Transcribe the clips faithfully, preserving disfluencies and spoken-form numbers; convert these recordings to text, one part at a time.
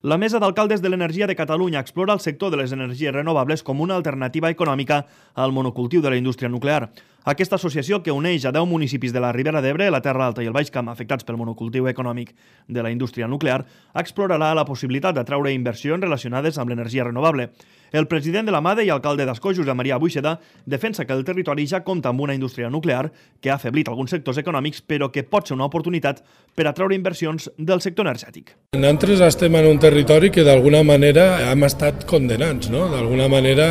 La Mesa d'Alcaldes de l'Energia de Catalunya explora el sector de les energies renovables com una alternativa econòmica al monocultiu de la indústria nuclear. Aquesta associació, que uneix a deu municipis de la Ribera d'Ebre, la Terra Alta i el Baix Camp afectats pel monocultiu econòmic de la indústria nuclear, explorarà la possibilitat d'atraure inversions relacionades amb l'energia renovable. El president de la MADE i alcalde d'Ascó, Josep Maria Buixeda, defensa que el territori ja compta amb una indústria nuclear que ha afeblit alguns sectors econòmics, però que pot ser una oportunitat per atraure inversions del sector energètic. Nosaltres estem en un territori que d'alguna manera hem estat condenats, no? D'alguna manera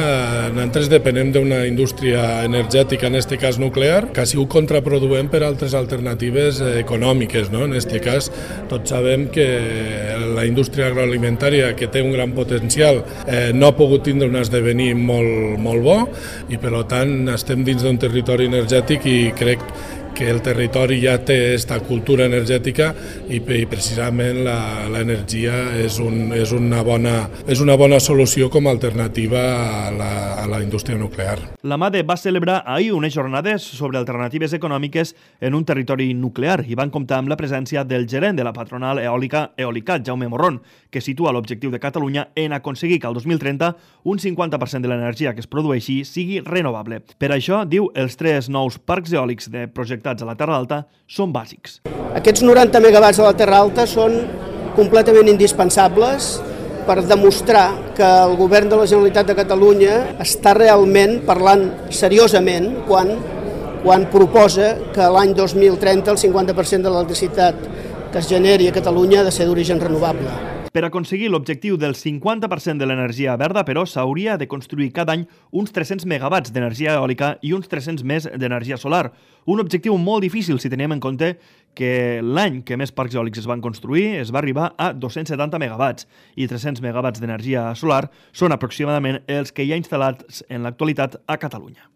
nosaltres depenem d'una indústria energètica, en aquest cas nuclear, que ha sigut contraproduent per altres alternatives econòmiques, no? En aquest cas tots sabem que la indústria agroalimentària, que té un gran potencial, eh, no ha pogut tindre un esdevenir molt, molt bo i per tant estem dins d'un territori energètic i crec que el territori ja té aquesta cultura energètica i, i precisament l'energia és, un, és, una bona, és una bona solució com a alternativa a la, a la indústria nuclear. La MADE va celebrar ahir unes jornades sobre alternatives econòmiques en un territori nuclear i van comptar amb la presència del gerent de la patronal eòlica Eolicat, Jaume Morrón, que situa l'objectiu de Catalunya en aconseguir que al dos mil trenta un cinquanta per cent de l'energia que es produeixi sigui renovable. Per això, diu, els tres nous parcs eòlics de projectats a la Terra Alta són bàsics. Aquests noranta megawatts a la Terra Alta són completament indispensables per demostrar que el govern de la Generalitat de Catalunya està realment parlant seriosament quan, quan proposa que l'any dos mil trenta el cinquanta per cent de l'electricitat que es generi a Catalunya ha de ser d'origen renovable. Per aconseguir l'objectiu del cinquanta per cent de l'energia verda, però, s'hauria de construir cada any uns tres-cents megawatts d'energia eòlica i uns tres-cents més d'energia solar. Un objectiu molt difícil si tenim en compte que l'any que més parcs eòlics es van construir es va arribar a dos-cents setanta megawatts i tres-cents megawatts d'energia solar són aproximadament els que hi ha instal·lats en l'actualitat a Catalunya.